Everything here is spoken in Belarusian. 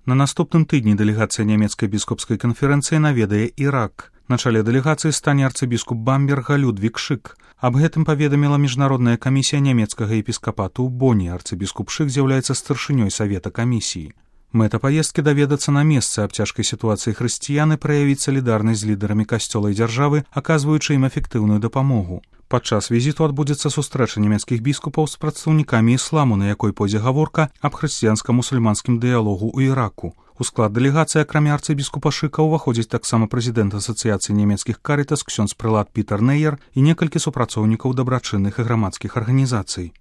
На наступным тыдні дэлегацыя нямецкай біскупскай канферэнцыі наведае Ірак. На чале дэлегацыі стане арцыбіскуп Бамберга Людвік Шык. Аб гэтым паведаміла міжнародная камісія нямецкага епіскапату ў Боне. Арцыбіскуп Шык з'яўляецца старшынёй савета камісіі. Мэта паездкі даведацца на месцы аб цяжкай сітуацыі хрысціян і праявіць салідарнасць з лідарамі касцёла і дзяржавы, аказваючы ім эфектыўную дапамогу. Падчас візіту адбудзецца сустрэча нямецкіх біскупаў з прадстаўнікамі ісламу, на якой пойдзе гаворка аб хрысціянска-мусульманскім дыялогу ў Іраку. У склад дэлегацыі, акрамя арцыбіскупа Шыка, уваходзіць таксама прэзідэнт асацыяцыі нямецкіх карытас ксёндз прэлат Пітер Нейер і некалькі супрацоўнікаў дабрачынных і грамадскіх арганізацый.